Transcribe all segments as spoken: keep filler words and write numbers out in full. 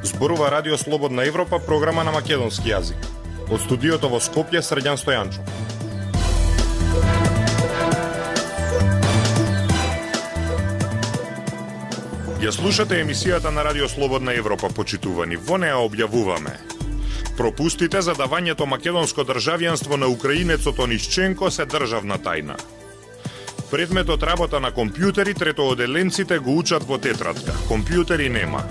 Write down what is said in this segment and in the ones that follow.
Зборува Радио Слободна Европа, програма на македонски јазик. Од студиото во Скопје, Срđan Стојанчов. Ја слушате емисијата на Радио Слободна Европа, почитувани. Во неа објавуваме: пропустите за давањето македонско државјанство на украинецот Онишченко се државна тајна. Предметот работа на компјутери, третооделенците го учат во тетрадка. Компјутери нема.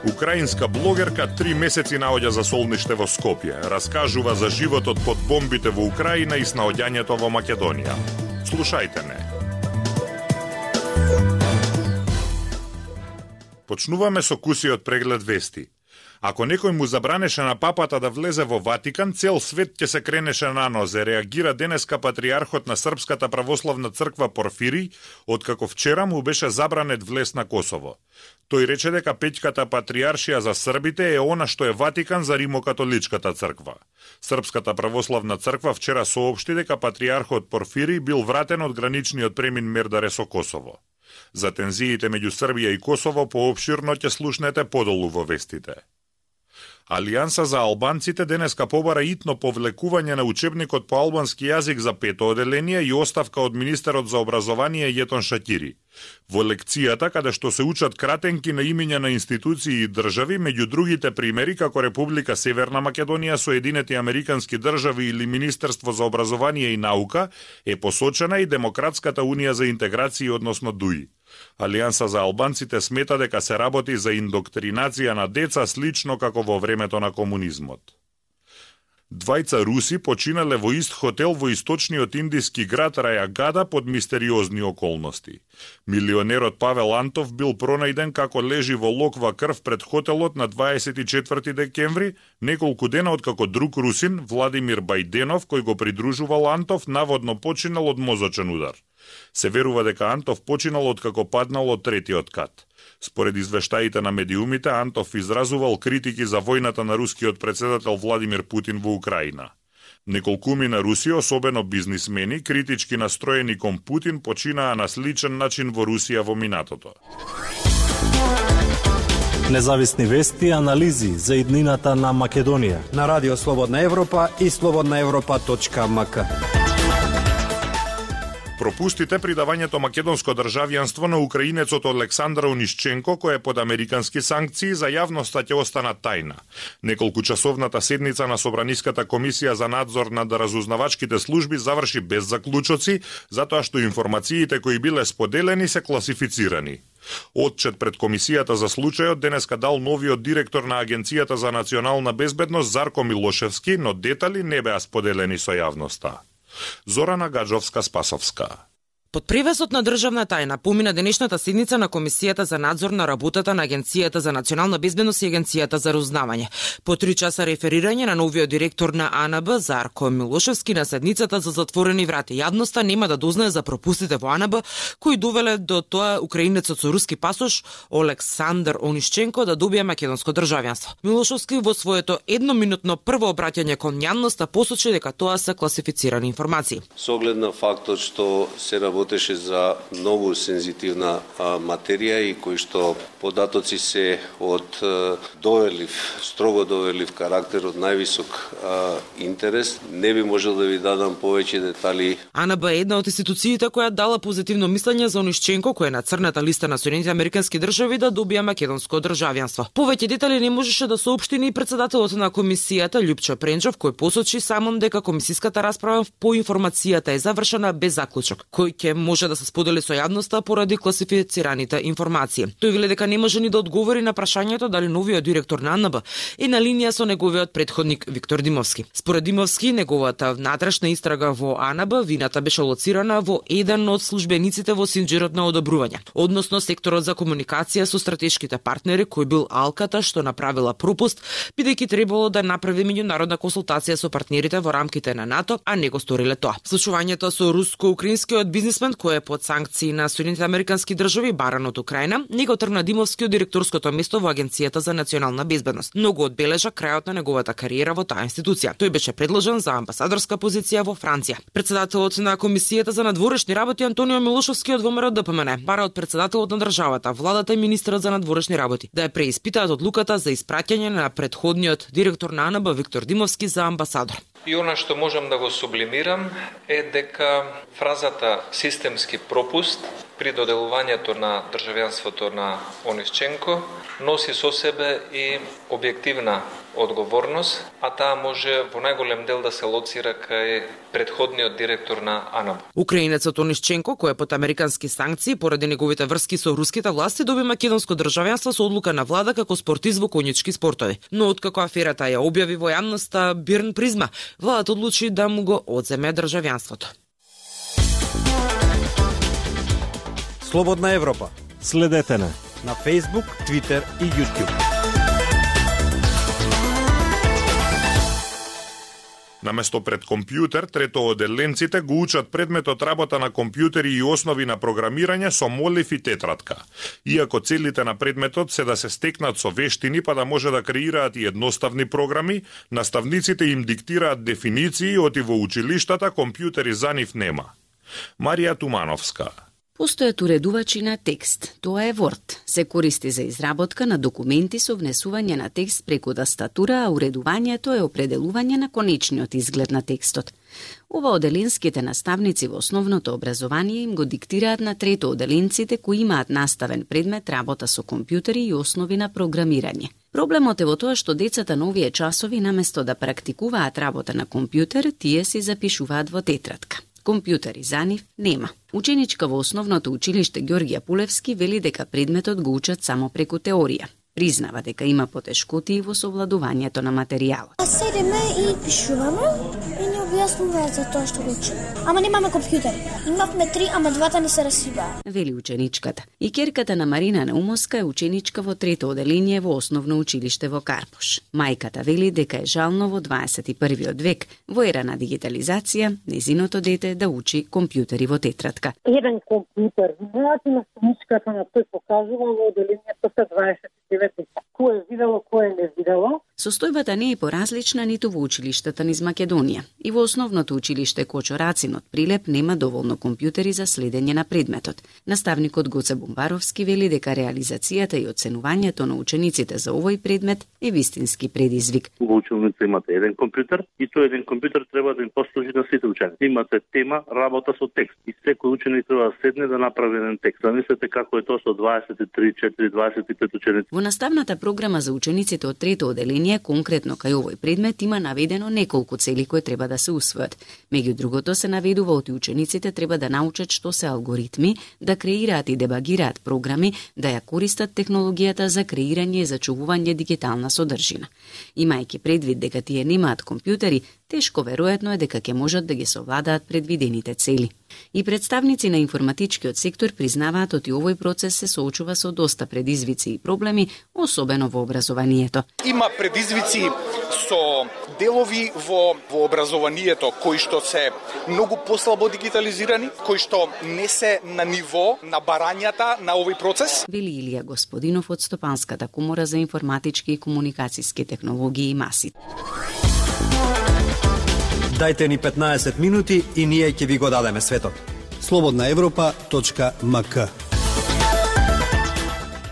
Украинска блогерка три месеци наоѓа за солниште во Скопје. Раскажува за животот под бомбите во Украина и снаоѓањето во Македонија. Слушајте не. Почнуваме со кусиот преглед вести. Ако некој му забранеше на папата да влезе во Ватикан, цел свет ќе се кренеше на нозе, реагира денеска патриархот на Српската православна црква Порфирий, откако вчера му беше забранет влез на Косово. Тој рече дека пеќката патриаршија за србите е она што е Ватикан за Римокатоличката црква. Српската православна црква вчера соопшти дека патриархот Порфирий бил вратен од граничниот премин Мердаре со Косово. За тензиите меѓу Србија и Косово поопширно ќе слушнете подолу во вестите. Алијанса за албанците денеска побара итно повлекување на учебникот по албански јазик за пето оделение и оставка од министерот за образование Јетон Шакири. Во лекцијата, каде што се учат кратенки на имиња на институции и држави, меѓу другите примери како Република Северна Македонија, Соединети Американски држави или Министерство за образование и наука, е посочена и Демократската унија за интеграција, односно ДУИ. Алијанса за албанците смета дека се работи за индоктринација на деца слично како во времето на комунизмот. Двајца руси починале во ист хотел во источниот индиски град Рајагада под мистериозни околности. Милионерот Павел Антов бил пронајден како лежи во локва крв пред хотелот на дваесет и четврти декември, неколку дена откако друг русин, Владимир Бајденов, кој го придружувал Антов, наводно починал од мозочен удар. Се верува дека Антов починал откако паднал од третиот кат. Според извештаите на медиумите, Антов изразувал критики за војната на рускиот председател Владимир Путин во Украина. Неколкуми на Руси, особено бизнисмени, критички настроени кон Путин, починаа на сличен начин во Русија во минатото. Независни вести и анализи за иднината на Македонија на Радио Слободна Европа и слободна европа точка ем ка. Пропустите при давањето македонско државјанство на украинецот Олександар Онишченко, кој е под американски санкции, за јавноста ќе останат тајна. Неколку часовната седница на Собраниската комисија за надзор над разузнавачките служби заврши без заклучоци, затоа што информациите кои биле споделени се класифицирани. Отчет пред комисијата за случајот денеска дал новиот директор на Агенцијата за национална безбедност Зарко Милошевски, но детали не беа споделени со јавноста. Зорана Гаджовска-Спасовска. Под превесот на државна тајна помина денешната седница на Комисијата за надзор на работата на Агенцијата за национална безбедност и Агенцијата за разузнавање. По три часа реферирање на новиот директор на А Н Б Зарко Милошевски на седницата за затворени врати. Јавноста нема да дознае за пропустите во А Н Б кои довеле до тоа украинецот со руски пасош Олександар Онишченко да добие македонско државјанство. Милошевски во своето едноминутно прво обраќање кон јавноста посочи дека тоа се класифицирани информации. Со оглед на фактот што се работеше за многу сензитивна а, материја и кои што податоци се од а, доверлив, строго доверлив карактер, од највисок а, интерес, не би можел да ви дадам повеќе детали. А Н Б е една од институциите која дала позитивно мислење за Онишченко, кој е на црната листа на Соединените Американски држави да добија македонско државјанство. Повеќе детали не можеше да соопшти ни председателот на комисијата Љупчо Пренчов, кој посочи самом дека комисиската расправа по информацијата е завршена без заклучок, кој ќе може да се сподели со јавноста поради класифицираните информации. Тој вели дека не може ни да одговори на прашањето дали новиот директор на А Н Б е на линија со неговиот претходник Виктор Димовски. Според Димовски, неговата внатрешна истрага во А Н Б вината беше лоцирана во еден од службениците во синџирот на одобрување, односно секторот за комуникација со стратешките партнери, кој бил Алката што направила пропуст, бидејќи требало да направи меѓународна консултација со партнерите во рамките на НАТО, а не го сториле тоа. Слушувањето со руско-украинскиот бизнис естаблисмент кој е под санкции на Соединетите американски држави баран од Украина, не го тргна Димовски од директорското место во Агенцијата за национална безбедност, но го одбележа крајот на неговата кариера во таа институција. Тој беше предложен за амбасадорска позиција во Франција. Председателот на Комисијата за надворешни работи Антонио Милошовски од ВМРО Д П М Н бара од председателот на државата, владата и министерот за надворешни работи да ја преиспитаат одлуката за испраќање на претходниот директор на А Н Б Виктор Димовски за амбасадор. И она што можам да го сублимирам е дека фразата системски пропуст при доделувањето на државјанството на Онишченко носи со себе и објективна одговорност, а таа може во најголем дел да се лоцира кај претходниот директор на А Н Б. Украинецот Онишченко, кој е под американски санкции поради неговите врски со руските власти, доби македонско државјанство со одлука на влада како спортист во коњички спортови. Но откако аферата ја објави во јавноста Бирн Призма, владата одлучи да му го одземе државјанството. Слободна Европа. Следете на На Facebook, Twitter и YouTube. Наместо пред компјутер, третооделенците го учат предметот работа на компјутери и основи на програмирање со молив и тетрадка. Иако целите на предметот се да се стекнат со вештини па да може да креираат и едноставни програми, наставниците им диктираат дефиниции, оти во училиштата компјутери за нив нема. Марија Тумановска. Постојат уредувачи на текст, тоа е Word. Се користи за изработка на документи со внесување на текст преку тастатура, а уредувањето е определување на конечниот изглед на текстот. Ова оделенските наставници во основното образование им го диктираат на третооделенците кои имаат наставен предмет работа со компјутери и основи на програмирање. Проблемот е во тоа што децата на овие часови наместо да практикуваат работа на компјутер, тие си запишуваат во тетрадка. Компјутери за нив нема. Ученичка во основното училиште Ѓорѓија Пулевски вели дека предметот го учат само преку теорија. Признава дека има потешкоти во совладувањето на материјалот. Седиме и пишуваме и ни објаснуваат за тоа што го учиме. Ама немаме компјутери. Имавме три, ама двата не се расибаа. Вели ученичката. И ќерката на Марина Наумовска е ученичка во трето оделение во основно училиште во Карпош. Мајката вели дека е жално во дваесет и првиот век, во ера на дигитализација, незиното дете да учи компјутери во тетрадка. Еден компјутер, знаете на страничката на тој покажува во оделението се дваесет и девет. Кој е видело, кој е не видело. Состојбата не е поразлична ниту во училиштата низ Македонија. И во основното училиште Кочо Рацин од Прилеп нема доволно компјутери за следење на предметот. Наставникот Гоце Бомбаровски вели дека реализацијата и оценувањето на учениците за овој предмет е вистински предизвик. Во училница имате еден компјутер и тој еден компјутер треба да им послужи на сите ученици. Имате тема работа со текст и секој ученик треба да седне да направи еден текст. Замислете како е тоа со дваесет и три, четири, дваесет и пет ученици. Во наставната програма за учениците од трето оделение, конкретно кај овој предмет, има наведено неколку цели кои треба да се усвојат. Меѓу другото се наведува оти учениците треба да научат што се алгоритми, да креираат и дебагираат програми, да ја користат технологијата за креирање и зачувување дигитална содржина. Имајќи предвид дека тие немаат компјутери, тешко веројатно е дека ќе можат да ги совладаат предвидените цели. И представници на информатичкиот сектор признаваат оти овој процес се соочува со доста предизвици и проблеми, особено во образованието. Има предизвици со делови во, во образованието кои што се многу послабо дигитализирани, кои што не се на ниво на барањата на овој процес. Вели Илија Господинов од Стопанската комора за информатички и комуникацијски технологии и маси. Дајте ни петнаесет минути и ние ќе ви го дадеме светот. слободна европа точка м к.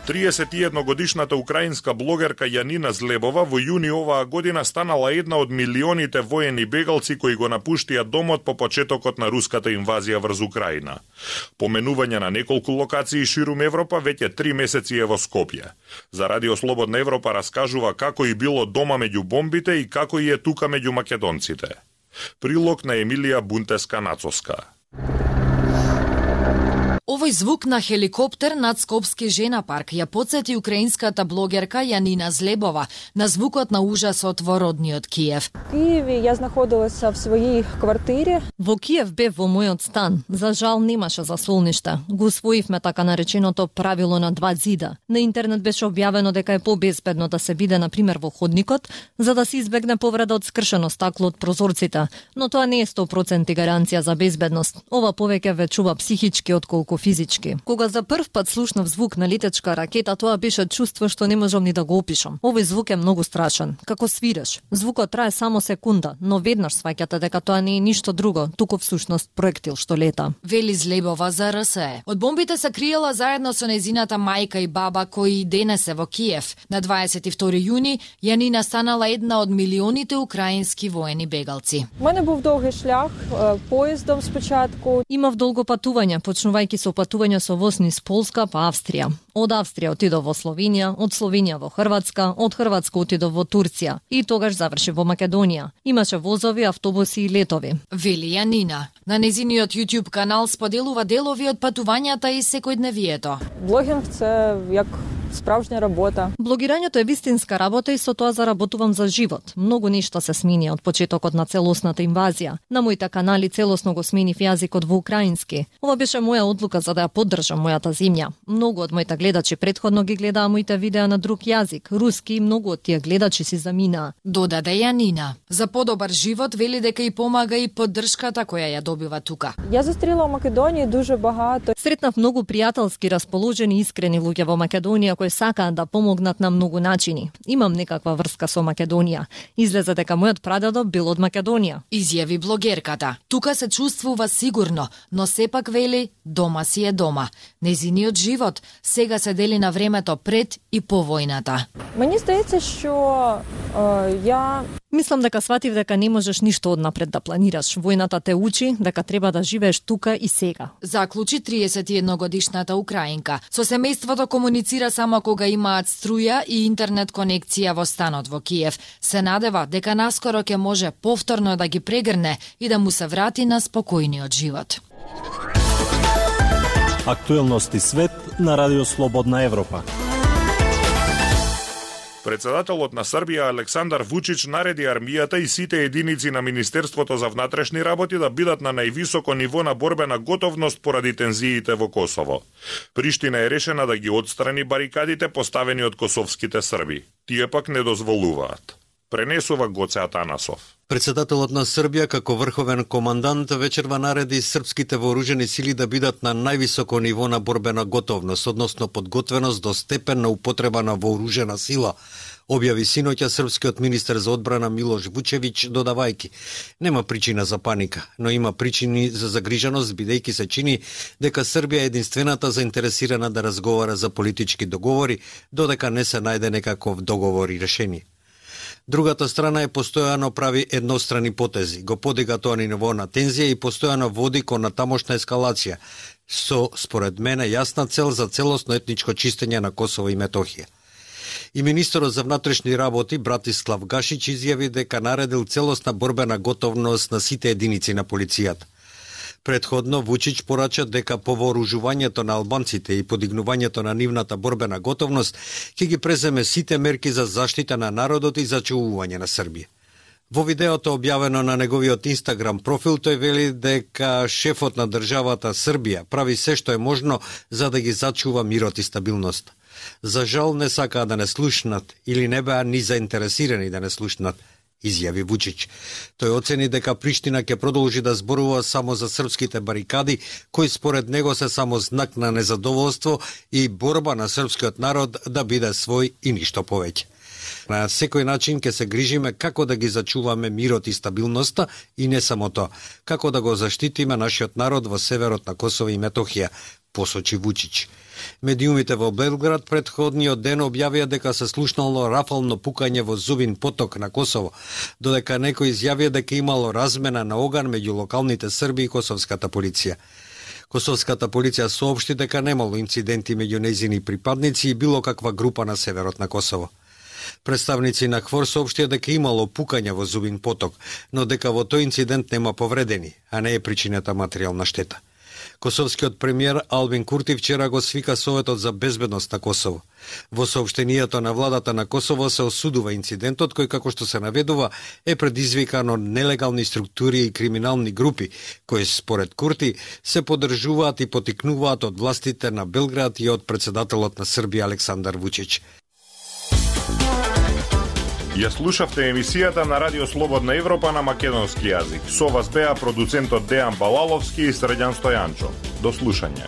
триесет и едногодишната украинска блогерка Јанина Злебова во јуни оваа година станала една од милионите воени бегалци кои го напуштија домот по почетокот на руската инвазија врз Украина. Поменување на неколку локации ширум Европа веќе три месеци е во Скопје. За Радио Слободна Европа раскажува како и било дома меѓу бомбите и како и е тука меѓу македонците. Прилог на Емилија Бунтеска-Нацоска. Овој звук на хеликоптер над Скопски жена парк ја потсети украинската блогерка Јанина Злебова на звукот на ужасот во родниот Киев. В Киеве ја находилася в своји квартири. Во Киев бев во мојот стан. За жал немаше заслоништа. Го усвоивме така нареченото правило на два зида. На интернет беше објавено дека е побезбедно да се биде на пример во ходникот, за да се избегне повреда од скршено стакло од прозорците, но тоа не е сто проценти гаранција за безбедност. Ова повеќе ве чува психички отколку физички. Кога за прв пат слушнав звук на летечка ракета, тоа беше чувство што не можам ни да го опишам. Овој звук е многу страшен, како свиреш. Звукот трае само секунда, но веднаш сваќате дека тоа не е ништо друго, туку всушност проектил што лета. Вели Злебова за Р С Е. Од бомбите се криела заедно со нејзината мајка и баба кои и денес се во Киев. На дваесет и втори јуни Јанина станала една од милионите украински воени бегалци. Мене був долги шлях, поездом спочатку. Имав долго патување, почнувајќи со патување со воз низ Полска па Австрија. Од Австрија отидов во Словенија, од Словенија во Хрватска, од Хрватска отидов во Турција и тогаш заврши во Македонија. Имаше возови, автобуси и летови. Вели Јанина. На незиниот YouTube канал споделува делови од патувањата и секојдневието. Блогинг це як справжня работа. Блогирањето е вистинска работа и со тоа заработувам за живот. Многу нешта се смени од почетокот на целосната инвазија. На моите канали целосно го сменив јазикот во украински. Ова беше моја одлука за да ја поддржам мојата земја. Многу од моите гледачи претходно ги гледаа моите видеа на друг јазик, руски, и многу од тие гледачи си заминаа. Додаде Јанина. За подобар живот вели дека и помага и поддршката која ја добива тука. Ја застрела во Македонија дуже багато. Сретнав многу пријателски расположени и искрени луѓе во Македонија кои сакаат да помогнат на многу начини. Имам некаква врска со Македонија. Излезе дека мојот прадедо бил од Македонија. Изјави блогерката. Тука се чувствува сигурно, но сепак вели дома си е дома. Незиниот живот сега се дели на времето пред и по војната. Мені здається, што ја Мислам дека сватив дека не можеш ништо однапред да планираш. Војната те учи дека треба да живееш тука и сега. Заклучи триесет и едногодишната украинка. Со семејството комуницира само кога имаат струја и интернет конекција во станот во Киев. Се надева дека наскоро ќе може повторно да ги прегрне и да му се врати на спокојниот живот. Актуелности свет на Радио Слободна Европа. Председателот на Србија Александар Вучич нареди армијата и сите единици на Министерството за внатрешни работи да бидат на највисоко ниво на борбена готовност поради тензиите во Косово. Приштина е решена да ги отстрани барикадите поставени од косовските срби. Тие пак не дозволуваат. Пренесува Гоце Атанасов. Председателот на Србија како врховен командант вечерва нареди српските вооружени сили да бидат на највисоко ниво на борбена готовност, односно подготвеност до степен на употреба на вооружена сила, објави синоќа српскиот министер за одбрана Милош Вучевиќ, додавајќи: нема причина за паника, но има причини за загриженост, бидејќи се чини дека Србија е единствената заинтересирана да разговара за политички договори, додека не се најде некаков договор и решение. Другата страна е постојано прави еднострани потези, го подига тоа ниво на тензија и постојано води кон натамошна ескалација, со, според мене, јасна цел за целосно етничко чистење на Косово и Метохија. И министерот за внатрешни работи Братислав Гашич изјави дека наредил целосна борбена готовност на сите единици на полицијата. Предходно Вучич порача дека по вооружувањето на албанците и подигнувањето на нивната борбена готовност ќе ги преземе сите мерки за заштита на народот и зачувување на Србија. Во видеото објавено на неговиот Инстаграм профил тој вели дека шефот на државата Србија прави се што е можно за да ги зачува мирот и стабилноста. За жал не сакаа да не слушнат или не беа ни заинтересирани да не слушнат, изјави Вучич. Тој оцени дека Приштина ќе продолжи да зборува само за српските барикади, кои според него се само знак на незадоволство и борба на српскиот народ да биде свој и ништо повеќе. На секој начин ќе се грижиме како да ги зачуваме мирот и стабилноста и не само тоа, како да го заштитиме нашиот народ во северот на Косово и Метохија, посочи Вучич. Медиумите во Белград предходниот ден објавија дека се слушнало рафално пукање во Зубин поток на Косово, додека некој изјавија дека имало размена на оган меѓу локалните срби и косовската полиција. Косовската полиција соопшти дека немало инциденти меѓу нејзини припадници и било каква група на северот на Косово. Представници на ХВОР соопштија дека имало пукање во Зубин поток, но дека во тој инцидент нема повредени, а не е причината материјална штета. Косовскиот премиер Албин Курти вчера го свика Советот за безбедност на Косово. Во соопштението на владата на Косово се осудува инцидентот кој, како што се наведува, е предизвикан од нелегални структури и криминални групи, кои според Курти се поддржуваат и потикнуваат од властите на Белград и од председателот на Србија Александар Вучич. Ја слушавте емисијата на Радио Слободна Европа на македонски јазик. Со вас беа продуцентот Дејан Балаловски и Срđan Стојанчо. До слушање.